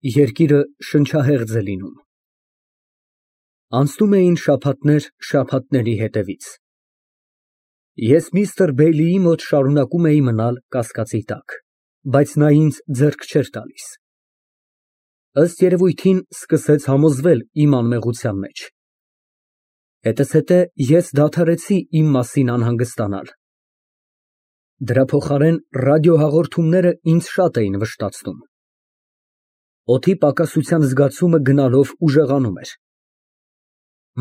Երկիրը շնչահեղձ է լինում։ Անցնում էին շաբաթներ շաբաթների հետևից։ Ես միստր Բեյլիի մոտ շարունակում էի մնալ կասկածի տակ, բայց նա ինձ ձեռք չէր տալիս։ Ըստ երևույթին, սկսեց համոզվել իմ անմեղության մեջ։ Հետզհետե ես դադարեցի իմ մասին անհանգստանալ։ Դրա փոխարեն ռադիոհաղորդումները ինձ շատ էին վշտացնում։ Օդի պակասության զգացումը գնալով ուժեղանում էր։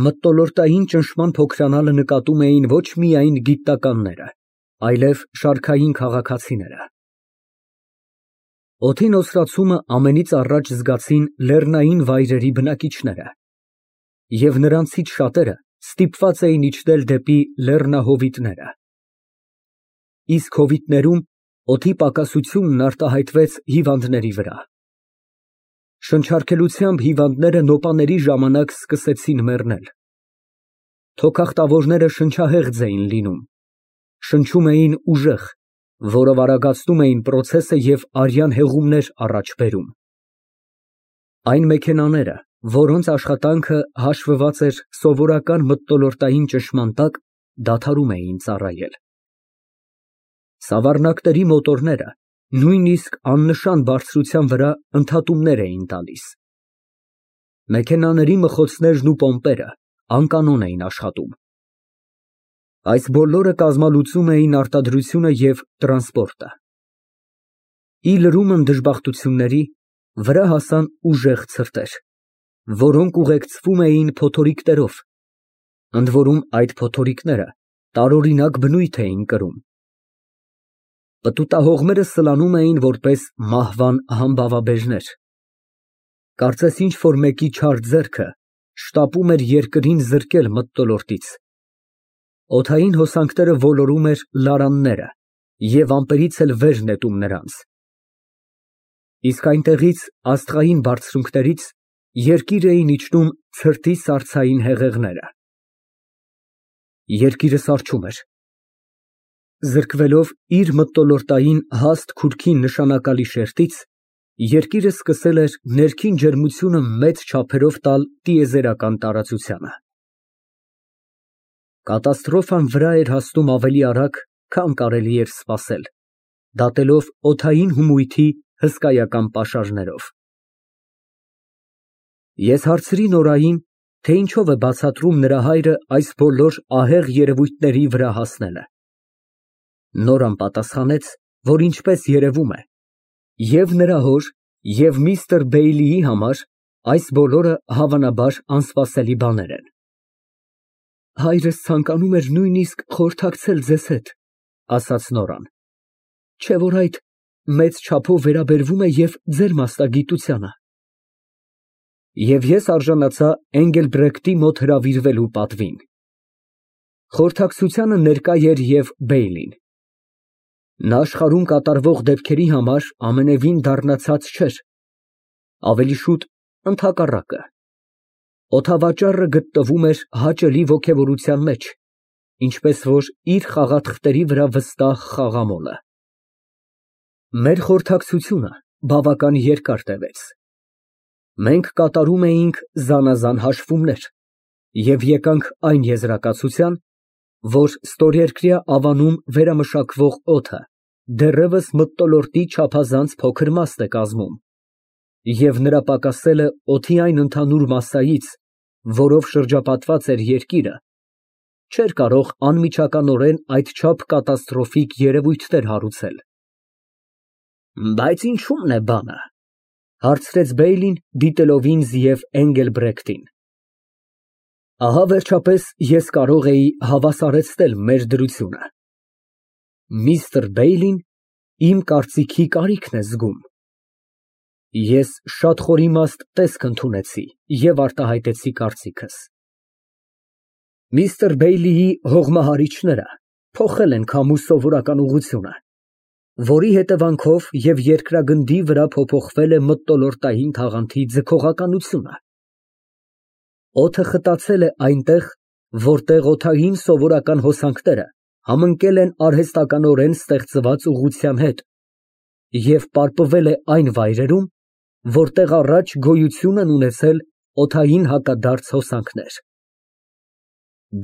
Մթնոլորտային ճնշման փոքրանալը նկատում էին ոչ միայն գիտնականները, այլև շարքային քաղաքացիները։ Օդի նոսրացումը ամենից առաջ զգացին լեռնային վայրերի բնակիչները, և նրանցից շատերը ստիպված էին իջնել դեպի լեռնահովիտները։ Իսկ հովիտներում օդի պակասությունն արտահայտվեց հիվանդների վրա։ Շնչառքելությամբ հիվանդները նոպաների ժամանակ սկսեցին մեռնել։ Թոքախտավորները շնչահեղձ էին լինում, շնչում էին ուժեղ, որով արագացնում էին պրոցեսը և արյան հեղումներ առաջ բերում։ Այն մեքենաները, որոնց աշխատանքը հաշվված էր սովորական մթնոլորտային ճնշման տակ, դադարում էին ծառայել։ Սավառնակների մոտորները նույնիսկ աննշան բարձրության վրա ընդհատումներ էին տալիս։ Մեքենաների մխոցներն ու պոմպերը անկանոն էին աշխատում։ Այս բոլորը կազմալուծում էին արտադրությունը և տրանսպորտը։ Ի լրումն դժբախտությունների, վրա հասան ուժեղ ցրտեր, որոնք ուղեկցվում էին փոթորիկներով, ընդ որում այդ փոթորիկները տարօրինակ բնույթ էին կրում։ Պտուտահողմերը սլանում էին որպես մահվան համբավաբեժներ։ Կարծես ինչ֊որ մեկի չար ձեռքը շտապում էր երկրին զրկել մթնոլորտից։ Օդային հոսանքները ոլորում էր լարանները և ամպերից էլ վեր նետում նրանց։ Իսկ այնտեղից, աստղային բարձունքներից, երկիր էին իջնում ցրտի սառցային հեղեղները։ Երկիրը սառչում էր։ Զրկվելով իր մթնոլորտային հաստ քուրքի նշանակալի շերտից, երկիրը սկսել էր ներքին ջերմությունը մեծ չափերով տալ տիեզերական տարածությանը։ Կատաստրոֆան վրա էր հասնում ավելի արագ, քան կարելի էր սպասել, դատելով օդային հումույթի հսկայական պաշարներով։ Ես հարցրի Նորային, թե ինչով է բացատրում նրա հայրը այս բոլոր ահեղ երևույթների վրա հասնելը։ Նորան պատասխանեց, որ ինչպես երևում է, և նրա հոր, և միստր Բեյլիի համար այս բոլորը հավանաբար անսպասելի բաներ են։ Հայրս ցանկանում էր նույնիսկ խորհրդակցել ձեզ հետ, ասաց Նորան, չէ՞ որ այդ մեծ չափով վերաբերվում է և ձեր մասնագիտությանը։ Եվ ես արժանացա Էնգելբրեկտի մոտ հրավիրվելու պատվին։ Խորհրդակցությանը ներկա էր և Բեյլին։ Նա աշխարհում կատարվող դեպքերի համար ամենևին դառնացած չէր, ավելի շուտ ընդհակառակը։ Օդավաճառը գտնվում էր հաճելի ոգևորության մեջ, ինչպես որ իր խաղաթղթերի վրա վստահ խաղամոլը։ Մեր խորհրդակցությունը բավական երկար տևեց։ Մենք կատարում էինք զանազան հաշվումներ և եկանք այն եզրակացության, որ ստորերկրյա ավանում վերամշակվող օդը դեռևս մթնոլորտի չափազանց փոքր մաստ է կազմում, և նրա պակասելը օդի այն ընդհանուր մասսայից, որով շրջապատված էր երկիրը, չէր կարող անմիջականորեն այդչափ կատաստրոֆիկ երևույթներ հարուցել։ Բայց ինչո՞ւմն է բանը, հարցրեց Բեյլին, դիտելով ինձ և Էնգելբրեկտին։ Ահա վերջապես ես կարող էի հավասարեցնել մեր դրությունը։ Միստր Բեյլին իմ կարծիքի կարիքն է զգում։ Ես շատ խորիմաստ տեսք ընդունեցի և արտահայտեցի կարծիքս։ Միստր Բեյլիի հողմահարիչները փոխել են քամու սովորական ուղղությունը, որի հետևանքով և երկրագնդի վրա փոփոխվել է մթնոլորտային թաղանթի ձգողականությունը։ Օդը խտացել է այնտեղ, որտեղ օդային սովորական հոսանքները համընկել են արհեստականորեն ստեղծված ուղղության հետ և պարպվել է այն վայրերում, որտեղ առաջ գոյություն են ունեցել օդային հակադարձ հոսանքներ։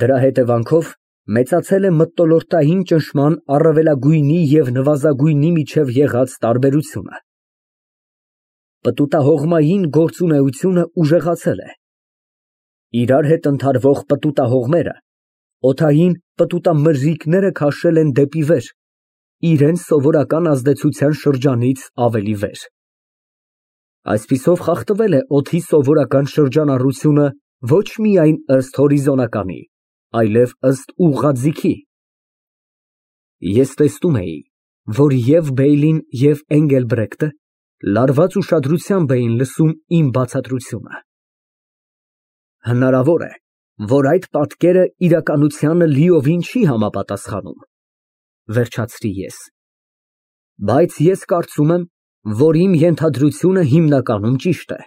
Դրա հետևանքով մեծացել է մթնոլորտային ճնշման առավելագույնի և նվազագույնի միջև եղած տարբերությունը։ Պտուտահողմային գործունեությունը ուժեղացել է։ Իրար հետ ընդհարվող պտուտահողմերը օդային պտուտամրրիկները քաշել են դեպի վեր, իրենց սովորական ազդեցության շրջանից ավելի վեր։ Այսպիսով խախտվել է օդի սովորական շրջանառությունը ոչ միայն ըստ հորիզոնականի, այլև ըստ ուղղաձիգի։ Ես տեսնում էի, որ և Բեյլին, և Էնգելբրեկտը լարված ուշադրությամբ էին լսում իմ բացատրությունը։ Հնարավոր է, որ այդ պատկերը իրականությանը լիովին չի համապատասխանում, վերջացրի ես, բայց ես կարծում եմ, որ իմ ենթադրությունը հիմնականում ճիշտ է։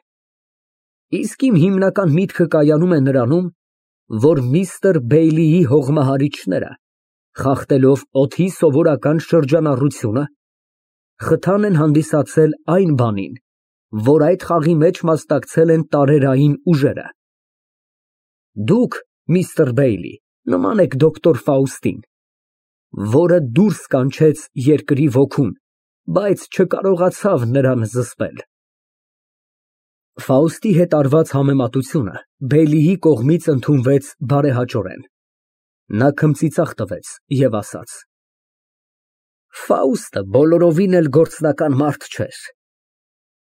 Իսկ իմ հիմնական միտքը կայանում է նրանում, որ միստր Բեյլիի հողմահարիչները, խախտելով օդի սովորական շրջանառությունը, խթան են հանդիսացել այն բանին, որ այդ խաղի մեջ մասնակցել են տարերային ուժերը։ Դուք, միստր Բեյլի, նման եք դոկտոր Ֆաուստին, որը դուրս կանչեց երկրի ոգուն, բայց չկարողացավ նրան զսպել։ Ֆաուստի հետ արված համեմատությունը Բեյլիի կողմից ընդունվեց բարեհաճորեն։ Նա քմծիծաղ տվեց և ասաց. Ֆաուստը բոլորովին էլ գործնական մարդ չէր։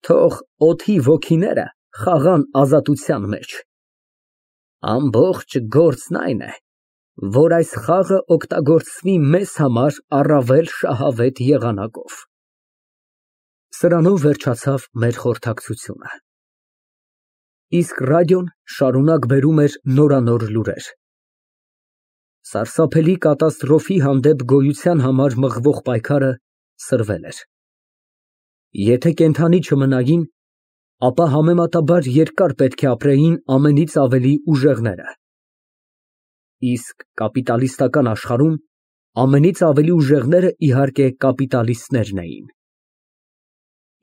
Թող օդի ոգիները խաղան ազատության մեջ։ Ամբողջ գործն այն է, որ այս խաղը օգտագործվի մեզ համար առավել շահավետ եղանակով։ Սրանով վերջացավ մեր խորհրդակցությունը։ Իսկ ռադիոն շարունակ բերում էր նորանոր լուրեր։ Սարսափելի կատաստրոֆի հանդեպ գոյության համար մղվող պայքարը սրվել էր։ Եթե կենդանի չմնային, ապա համեմատաբար երկար պետք է ապրեին ամենից ավելի ուժեղները։ Իսկ կապիտալիստական աշխարհում ամենից ավելի ուժեղները, իհարկե, կապիտալիստներն էին։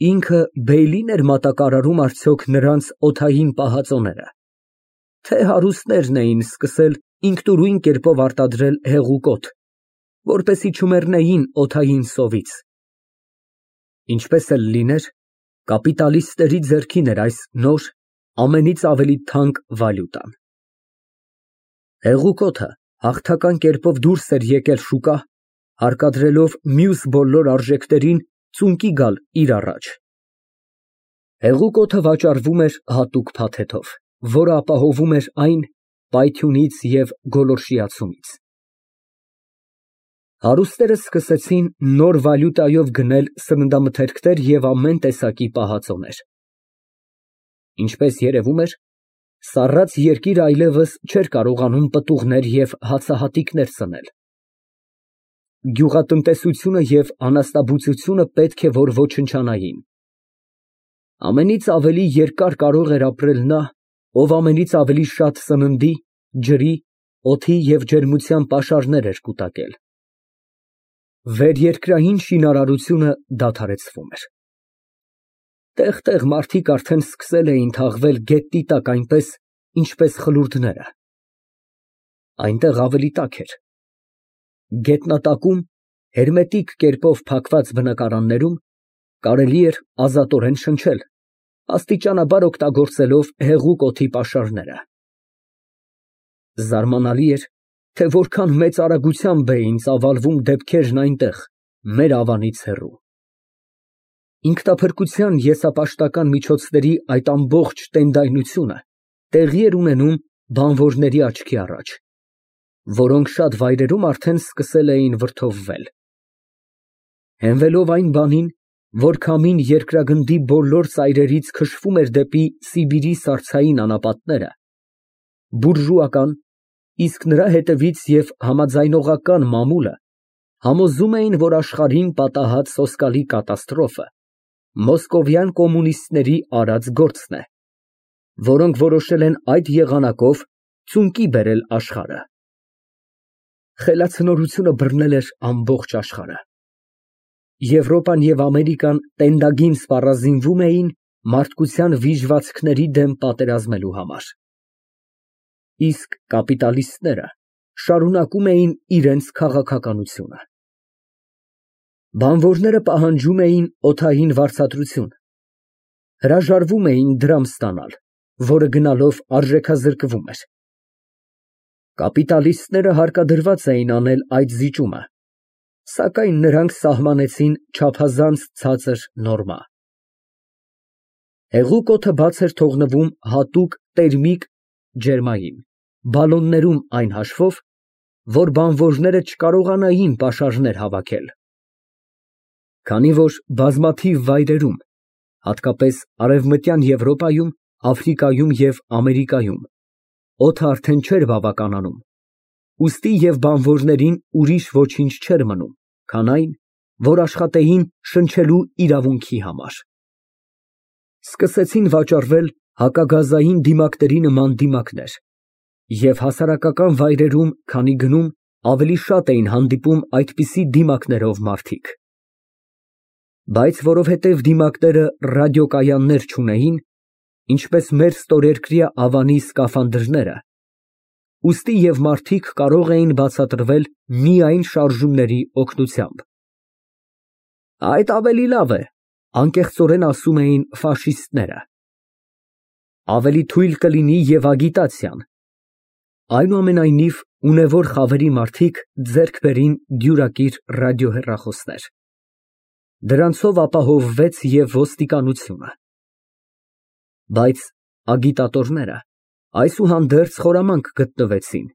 Ինքը Բեյլին էր մատակարարում արդյոք նրանց օդային պահածոները, թե հարուստներն էին սկսել ինքնուրույն կերպով արտադրել հեղուկ օդ, որպեսզի չմեռնեին օդային սովից։ Ինչպես էլ լիներ, կապիտալիստների ձեռքին էր այս նոր, ամենից ավելի թանկ վալյուտան։ Հեղուկ օդը հաղթական կերպով դուրս էր եկել շուկա, հարկադրելով մյուս բոլոր արժեքներին ծունկի գալ իր առաջ։ Հեղուկ օդը վաճառվում էր հատուկ փաթեթով, որը ապահովում էր այն պայթյունից և գոլորշիացումից։ Հարուստները սկսեցին նոր վալյուտայով գնել սննդամթերքներ և ամեն տեսակի պահածոներ։ Ինչպես երևում էր, սառած երկիրը այլևս չէր կարողանում պտուղներ և հացահատիկներ սնել։ Գյուղատնտեսությունը և անասնաբուծությունը պետք է որ ոչնչանային։ Ամենից ավելի երկար կարող էր ապրել նա, ով ամենից ավելի շատ սննդի, ջրի, օդի և ջերմության պաշարներ էր կուտակել։ Վերերկրային շինարարությունը դադարեցվում էր։ Տեղ֊տեղ մարդիկ արդեն սկսել էին թաղվել գետնի տակ այնպես, ինչպես խլուրդները։ Այնտեղ ավելի տաք էր։ Գետնատակում, հերմետիկ կերպով փակված բնակարաններում կարելի էր ազատորեն շնչել, աստիճանաբար օգտագործելով հեղուկ օդի պաշարները։ Զարմանալի էր, թե որքան մեծ արագությամբ էին ծավալվում դեպքերն այնտեղ, մեր ավանից հեռու։ Ինքնափրկության եսապաշտական միջոցների այդ ամբողջ տենդայնությունը տեղի էր ունենում բանվորների աչքի առաջ, որոնք շատ վայրերում արդեն սկսել էին վրդովվել։ Հենվելով այն բանին, որ քամին երկրագնդի բոլոր ծայրերից քշվում էր դեպի Սիբիրի սառցային անապատները, բուրժուական, իսկ նրա հետևից և համաձայնողական մամուլը համոզում էին, որ աշխարհին պատահած սոսկալի կատաստրոֆը մոսկովյան կոմունիստների արած գործն է, որոնք որոշել են այդ եղանակով ծունկի բերել աշխարհը։ Խելացնորությունը բռնել էր ամբողջ աշխարհը։ Եվրոպան և Ամերիկան տենդագին սպառազինվում էին մարդկության վիժվածքների դեմ պատերազմելու համար։ Իսկ կապիտալիստները շարունակում էին իրենց քաղաքականությունը։ Բանվորները պահանջում էին օդային վարձատրություն, հրաժարվում էին դրամ ստանալ, որը գնալով արժեքազրկվում էր։ Կապիտալիստները հարկադրված էին անել այդ զիջումը, սակայն նրանք սահմանեցին չափազանց ցածր նորմա։ Հեղուկ օդը բաց էր թողնվում հատուկ տերմիկ ջերմային բալոններում այն հաշվով, որ բանվորները չկարողանային պաշարներ հավաքել։ Քանի որ բազմաթիվ վայրերում, հատկապես Արևմտյան Եվրոպայում, Աֆրիկայում և Ամերիկայում, օդը արդեն չէր բավականանում, ուստի և բանվորներին ուրիշ ոչինչ չէր մնում, քան այն, որ աշխատեին շնչելու իրավունքի համար։ Սկսեցին վաճառվել հակագազային դիմակների նման դիմակներ, և հասարակական վայրերում, քանի գնում, ավելի շատ էին հանդիպում այդպիսի դիմակներով մարդիկ։ Բայց որովհետև դիմակները ռադիոկայաններ չունեին, ինչպես մեր ստորերկրյա ավանի սկաֆանդրները, ուստի և մարդիկ կարող էին բացատրվել միայն շարժումների օգնությամբ։ Այդ ավելի լավ է, անկեղծորեն ասում էին ֆաշիստները։ Ավելի թույլ կլինի և ագիտացիան։ Այնուամենայնիվ, ունևոր խավերի մարդիկ ձեռք բերին դյուրակիր ռադիոհեռախոսներ։ Դրանցով ապահովվեց և ոստիկանությունը։ Բայց ագիտատորները այսուհանդերձ խորամանկ գտնվեցին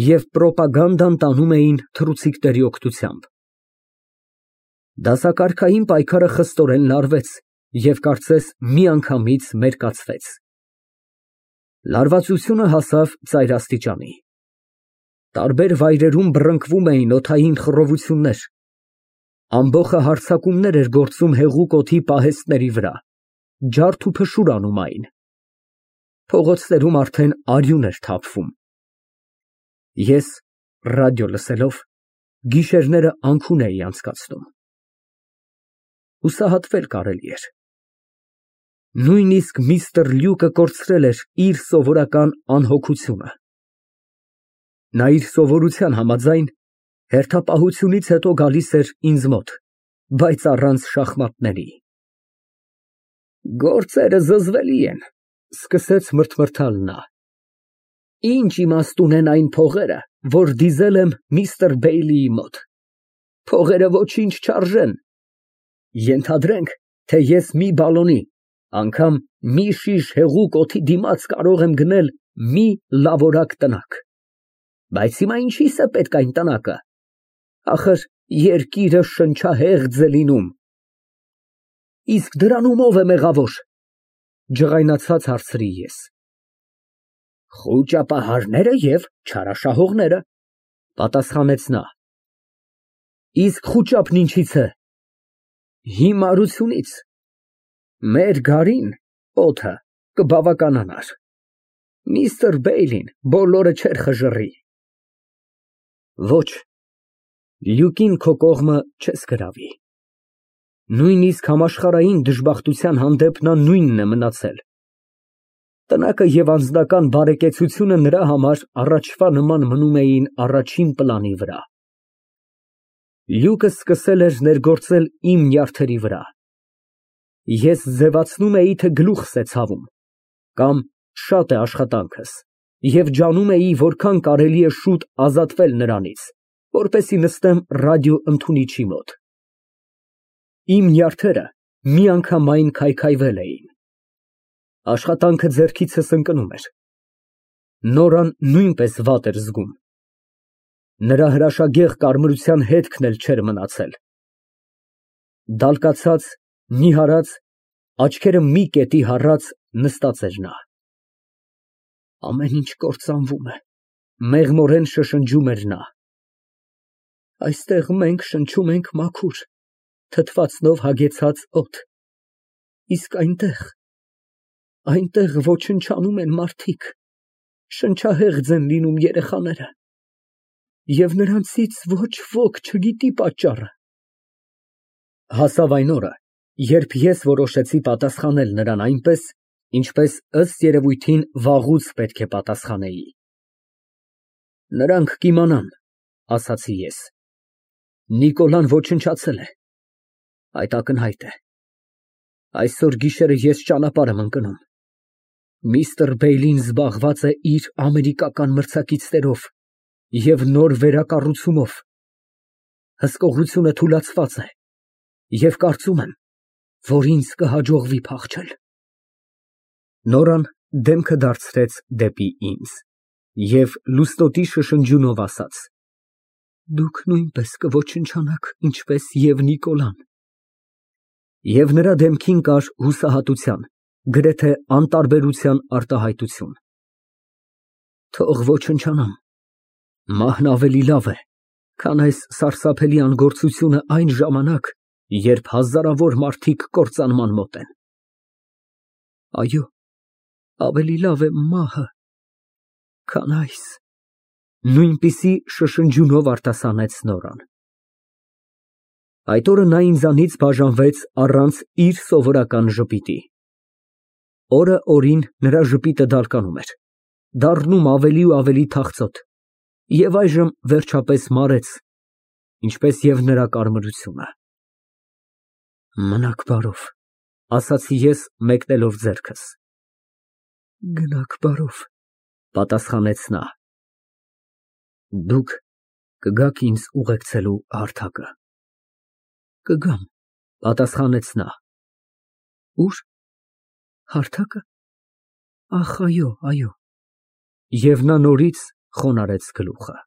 և պրոպագանդան տանում էին թռուցիկների օգնությամբ։ Դասակարգային պայքարը խստորեն լարվեց և կարծես միանգամից մերկացվեց։ Լարվածությունը հասավ ծայրաստիճանի։ Տարբեր վայրերում բռնկվում էին օդային խռովություններ, ամբոխը հարձակումներ էր գործում հեղուկ օդի պահեստների վրա, ջարդ ու փշուր անում այն։ Փողոցներում արդեն արյուն էր թափվում։ Ես, ռադիո լսելով, գիշերները անքուն էի անցկացնում։ Հուսահատվել կարելի էր։ Նույնիսկ միստր Լյուկը կորցրել էր իր սովորական անհոգությունը։ Նա իր սովորության համաձայն հերթապահությունից հետո գալիս էր ինձ մոտ, բայց առանց շախմատների։ Գործերը զզվելի են, սկսեց մրթմրթալ նա։ Ինչ իմաստ ունեն այն փողերը, որ դիզել եմ միստր Բեյլիի մոտ։ Փողերը ոչինչ չարժեն։ Ենթադրենք, թե ես մի բալոնի, անգամ մի շիշ հեղուկ օդի դիմաց կարող եմ գնել մի լավորակ տնակ։ Բայց հիմա ինչի՞ս է պետք այն տնակը։ Ախր երկիրը շնչահեղձ է լինում։ Իսկ դրանում ո՞վ է մեղավոր, ջղայնացած հարցրի ես։ Խուճապահարները և չարաշահողները, պատասխանեց նա։ Իսկ խուճապն ինչից է։ Հիմարությունից։ Մեր գարին օդը կբավականանար։ Միստր Բեյլին բոլորը չէր խժռի։ Ոչ, Լյուկին քո կողմը չես գրավի։ Նույնիսկ համաշխարհային դժբախտության հանդեպ նա նույնն է մնացել։ Տնակը և անձնական բարեկեցությունը նրա համար առաջվա նման մնում էին առաջին պլանի վրա։ Լյուկը սկսել էր ներգործել իմ նյարդերի վրա։ Ես ձևացնում էի, թե գլուխս է ցավում, կամ շատ է աշխատանքս, և ջանում էի որքան կարելի է շուտ ազատվել նրանից, որպեսզի նստեմ ռադիոընդունիչի մոտ։ Իմ նյարդերը միանգամայն քայքայվել էին։ Աշխատանքը ձեռքիցս ընկնում էր։ Նորան նույնպես վատ էր զգում։ Նրա հրաշագեղ կարմրության հետքն էլ չէր մնացել։ Դալկացած, նիհարած, աչքերը մի կետի հառած նստած էր նա։ Ամեն ինչ կործանվում է, մեղմորեն շշնջում էր նա։ Այստեղ մենք շնչում ենք մաքուր, թթվածնով հագեցած օդ, իսկ այնտեղ ոչնչանում են մարդիկ, շնչահեղձ են լինում երեխաները, և նրանցից ոչ ոք չգիտի պատճառը։ Հասավ այն օրը, երբ ես որոշեցի պատասխանել նրան այնպես, ինչպես ըստ երևույթին վաղուց պետք է պատասխանեի։ Նրանք կիմանան, ասացի ես։ Նիկոլան ոչնչացել է։ Այդ ակնհայտ է։ Այսօր գիշերը ես ճանապարհ եմ ընկնում։ Միստր Բեյլին զբաղված է իր ամերիկական մրցակիցներով և նոր վերակառուցումով։ Հսկողությունը թուլացված է և կարծում եմ, որ ինձ կհաջողվի փախչել։ Նորան դեմքը դարձրեց դեպի ինձ և լուսնոտի շշնջյունով ասաց. Դուք նույնպես կոչնչանաք, ինչպես և Նիկոլան։ Եվ նրա դեմքին կար հուսահատության, գրեթե անտարբերության արտահայտություն։ Թող ոչնչանամ, մահն ավելի լավ է, քան այս սարսափելի անգործությունը այն ժամանակ, երբ հազարավոր մարդիկ կործանման մոտ են։ Այո, ավելի լավ է մահը, քան այս, նույնպիսի շշնջյունով արտասանեց Նորան։ Այդ օրը նա ինձանից բաժանվեց առանց իր սովորական ժպիտի։ Օրը օրին նրա ժպիտը դարկանում էր, դառնում ավելի ու ավելի թախծոտ և այժմ վերջապես մարեց, ինչպես և նրա կարմրությունը։ Մնաք բարով, ասացի ես մեկնելով ձեռքս։ Գնաք բարով, պատասխանեց նա։ Դուք կգաք ինձ ուղեկցելու հարթակը։ Կգամ, պատասխանեց նա։ Ուր։ Հարթակը։ Ախ, այո, այո։ Եվ նա նորից խոնարհեց գլուխը։